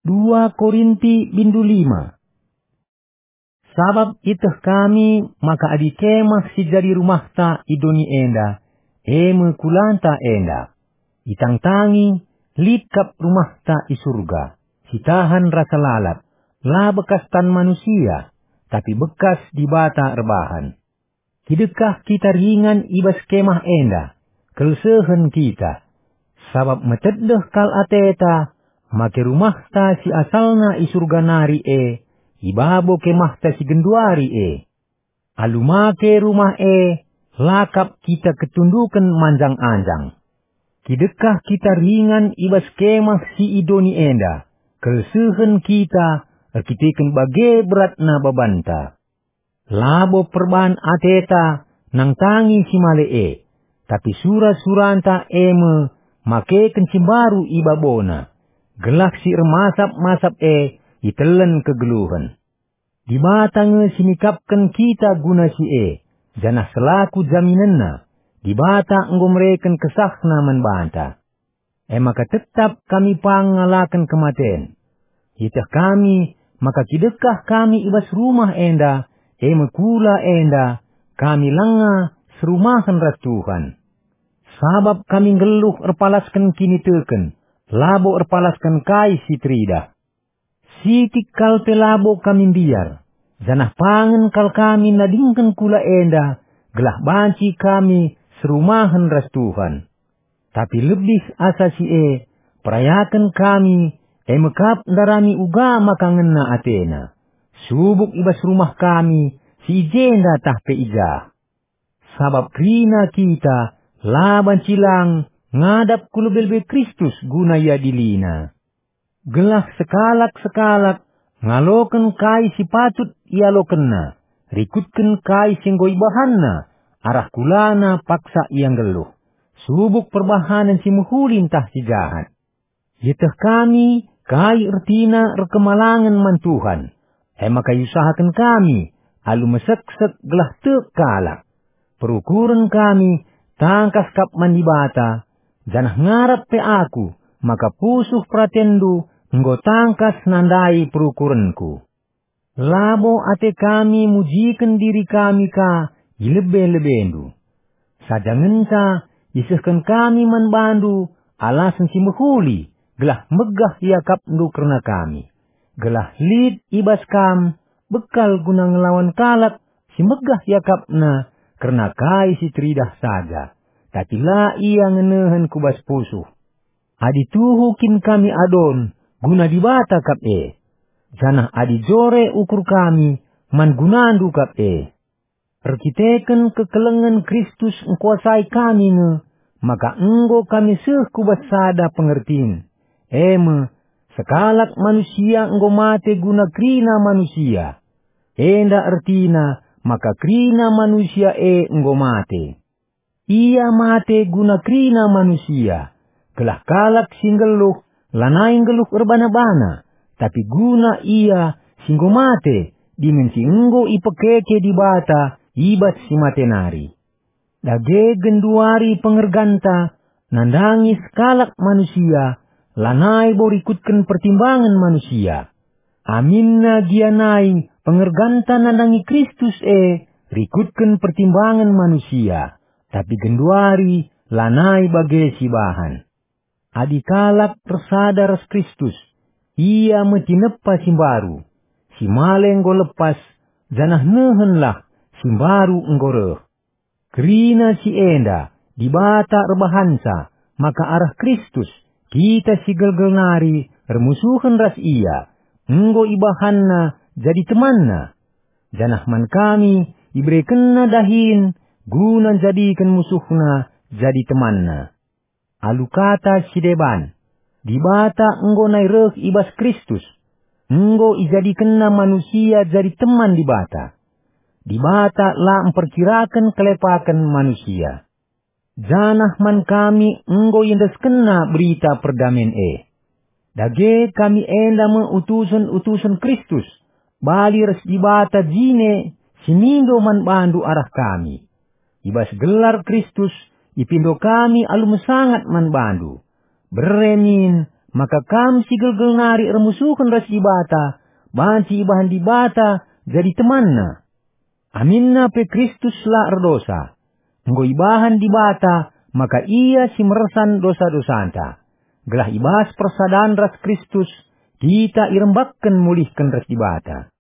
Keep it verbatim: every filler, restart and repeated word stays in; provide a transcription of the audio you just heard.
Dua Korinti bindu lima. Sabap ieteh kami maka adi kemah si jadi rumahta i doni enda, e me kulanta enda. Itangtangi, lit kap rumahta i Surga, si tahan rasa lalap, la bekas tan manusia, tapi bekas Dibata erbahan. Kidekah kita ringan i bas kemah enda, kelsehen kita. Sabap metedeh kal ateta, make rumahta si asalna i Surga nari e, i babo kemahta si genduari e. Alu make rumah e, la kap kita ketunduken manjang-anjang. Kidekah kita ringan i bas kemah si i doni enda, kelsehen kita erkiteken bage beratna babanta. Labo perban ateta nangtangi si male e, tapi sura-suranta e me makeken si mbaru i babona, gelah si ermasap-masap e itelen kegeluhen. Dibata nge si nikapken kita guna si e, janah selaku jaminenna, Dibata enggo mereken kesahNa man banta. E maka tetap kami pang ngalaken kematen. Ieteh kami maka kidekah kami i bas rumah enda, e me kula enda, kami langa serumahen ras Tuhan. Sabap kami nggeluh erpalasken kiniteken, labo erpalasken kai si teridah. Sitik kal pe labo kami mbiar, janah pangen kal kami nadingken kula enda, gelah banci kami serumahen ras Tuhan. Tapi lebih asa si e, perayaken kami, e me kap ndarami uga maka ngena atena, subuk i bas rumah kami, si i jenda tah pe i jah. Sabap kerina kita la banci lang ngadap ku lebe-lebe Kristus guna iadiliNa. Gelah sekalak-sekalak ngaloken kai si patut ialokenna, rikutken kai si enggo ibahanna, arah kulana paksa ia nggeluh, subuk perbahanen si mehuli ntah si jahat. Ieteh kami kai ertina erkemalangen man Tuhan, e maka iusahaken kami alu meseksek gelah tek kalak. Perukuren kami tangkas kap man Dibata, janah ngarap pe aku maka pusuh peratenndu enggo tangkas nandai perukurenku. Labo ate kami mujiken diri kami ka i lebe-lebendu. Saja ngenca isehken kami man bandu alasen si mehuli gelah megah iakapndu kerna kami, gelah lit i bas kam bekal guna ngelawan kalak si megah iakapna kerna kai si teridah saja, tapi la ia ngenehen ku bas pusuh. Adi tuhu kin kami adon guna Dibata kap e, janah adi jore ukur kami man gunandu kap e. Erkiteken kekelengen Kristus engkuasai kami nge, maka enggo kami seh ku bas sada pengertin, e me, sekalak manusia enggo mate guna kerina manusia. Enda ertina maka kerina manusia e enggo mate. Ia mate guna kerina manusia, gelah kalak si nggeluh lanai nggeluh erbana-bana, tapi guna ia si enggo mate, dingen si enggo ipekeke Dibata i bas si mate nari. Dage genduari pengerganta nandangi sekalak manusia, lanai bo rikutken pertimbangen manusia. Aminna gia nai pengerganta nandangi Kristus e rikutken pertimbangen manusia, tapi genduari lanai bage sibahan. Adi kalak ersada ras Kristus, ia me tinepa si mbaru. Si male enggo lepas, janah nehenlah, si mbaru enggo reh. Kerina si enda, Dibata erbahanca maka arah Kristus, kita si gelgel nari ermusuhen ras Ia, enggo ibahanNa jadi temanNa. Janah man kami iberekenNa dahin guna njadiken musuhNa jadi temanNa. Alu kata si deban, Dibata enggo nai reh i bas Kristus, enggo ijadikenNa manusia jadi teman Dibata. Dibata la mperkiraken kelepaken manusia. Janah man kami enggo iendeskenNa berita perdamen e. Dage kami enda me utusen-utusen Kristus, bali ras Dibata jine si mindo man bandu arah kami. I bas gelar Kristus ipindo kami alu mesangat man bandu. Bere min maka kam si gelgel nari ermusuhen ras Dibata, banci ibahan Dibata jadi temanNa. Aminna pe Kristus la erdosa. Enggo ibahan Dibata maka Ia si mersan dosa-dosanta, gelah i bas persadan ras Kristus kita irembakken mulihken ras Dibata.